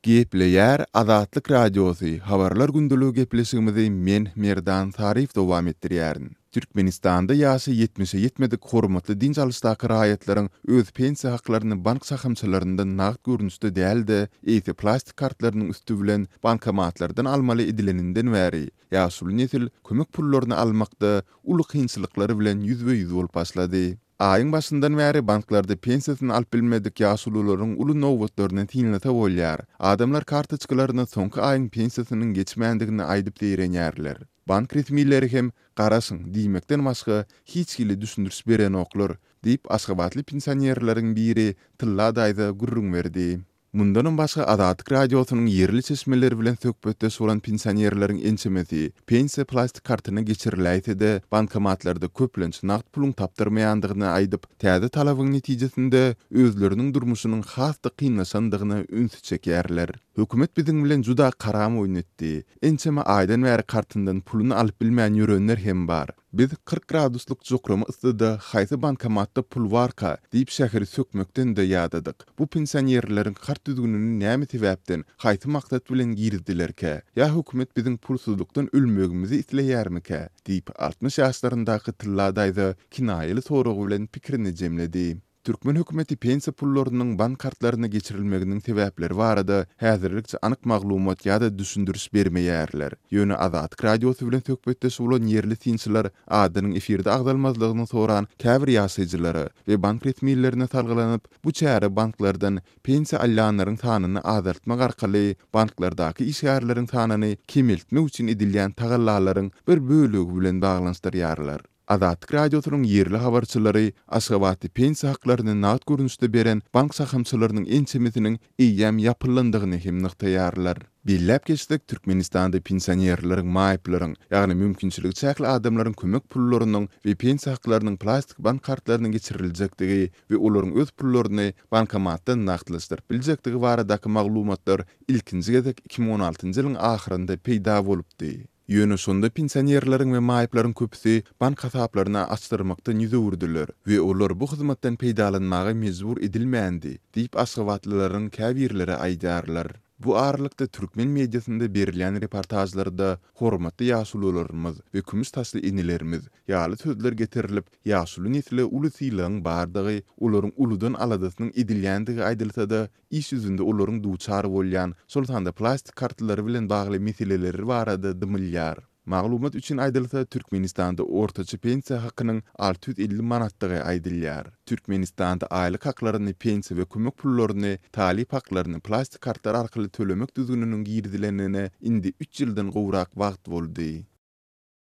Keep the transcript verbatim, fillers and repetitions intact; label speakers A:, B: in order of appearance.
A: Gepleýär Azatlyk Radiosy, Habarlar gündeligi gepleşigimizi men, Merdan Saryýew dowam etdirýärin. Türkmenistanda ýaşy ýetmişe ýetmedik hormatly dynç alyşdaky raýatlaryň öz pensiýa haklaryny bank şahamçalaryndan nagt görnüşde däl-de, eýse plastik kartlarynyň üsti bilen bankomatlardan almaly edileninden bäri, ýaşuly nesil kömek pullaryny almakda uly kynçylyklar bilen ýüzbe-ýüz bolup başlady. Aýyň başyndan bäri banklarda pensiýasyny alyp bilmedik ýaşulularyň uly nobatlaryny synlasa bolýar. Adamlar kartoçkalaryna soňky aýyň pensiýasynyň geçmändigini aýdyp zeýrenýärler. Bank resmileri hem garaşyň diýmekden başga hiç hili düşündiriş berenoklar diýip, aşgabatly pensionerleriň biri Tylla daýza gürrüň berdi. Mundanam başga Azatlyk Radiosynyň ýerli çeşmeleri bilen söhbetdeş bolan pensionerleriň ençemesi pensiýa plastik kartyna geçiriläýse-de, bankomatlarda köplenç nagt puluň tapdyrmaýandygyny aýdyp, täze talabyň netijesinde özleriniň durmuşynyň has-da kynlaşandygyna ünsi çekýärler. Hökümet biziň bilen juda karam oýun etdi. Ençeme aýdan bäri kartyndan puluny alyp bilmän ýörenler hem bar. Biz kyrk graduslyk jokrama yssyda haýsy bankomatda pul barka diýip şäheri sökmekden-de ýadadyk. Bu pensionerleriň kart düzgünini näme sebäpden, haýsy maksat bilen girizdilerkä? Ýa hökümet biziň pulsuzlykdan ölmegimizi isleýärmikä? diýip, altmyş ýaşlaryndaky Tylla daýza kinaýaly sorag bilen pikirini jemledi. Türkmen hökümeti pensiýa pullarynyň bank kartlaryna geçirilmeginiň sebäpleri barada häzirlikçe anyk maglumat ýa-da düşündiriş bermeýärler. Ýöne Azatlyk Radiosy bilen söhbetdeş bolan ýerli synçylar adynyň efirde agzalmazlygyny soran käbir ýaşaýjylara we bank resmilerine salgylanyp, bu çäre banklardan pensiýa alýanlaryň sanyny azaltmak arkaly banklardaky işgärleriň sanyny kemeltmek üçin edilýän tagallalaryň bir bölegi bilen baglanyşdyrýarlar. Azatlyk Radiosynyň ýerli habarçylary Aşgabatda pensiýa haklaryny nagt görnüşde beren bank şahamçalarynyň ençemesiniň eýýäm ýapylandygyny hem nygtaýarlar. Belläp geçsek, Türkmenistanda pensionerleriň, maýyplaryň, ýagny mümkinçiligi çäkli adamlaryň kömek pullarynyň we pensiýa haklarynyň plastik bank kartlaryna geçiriljekdigi we olaryň öz pullaryny bankomatdan nagtlaşdyryp biljekdigi baradaky maglumatlar ilkinji gezek iki müň on altynjy ýylyň ahyrynda peýda bolupdy. Ýöne şonda pensionerleriň we maýyplaryň köpüsi bank hasaplaryny açdyrmakdan ýüz öwürdiler we olar bu hyzmatdan peýdalanmaga mejbur edilmändi, diýip, aşgabatlylaryň käbirleri aýdýarlar. Bu aralykda türkmen mediasynda berilýän reportažlarda hormatly ýaşulularymyz we kümüş saçly enelerimiz ýaly sözler getirilip, ýaşuly nesle uly sylagyň bardygy, olaryň uludan aladasynyň edilýändigi aýdylsa-da, iş ýüzünde olaryň duçar bolýan, şol sanda plastik kartlary bilen bagly meseleleri barada dymylýar. Maglumat üçin aýdylsa, Türkmenistanda ortaça pensiýa hakynyň alty ýüz elli manatdygy aýdylýar. Türkmenistanda aýlyk haklaryny, pensiýa we kömek pullaryny, talyp haklaryny plastik kartlar arkaly tölemek düzgüniniň girizilenine indi üç ýyldan gowrak wagt boldy.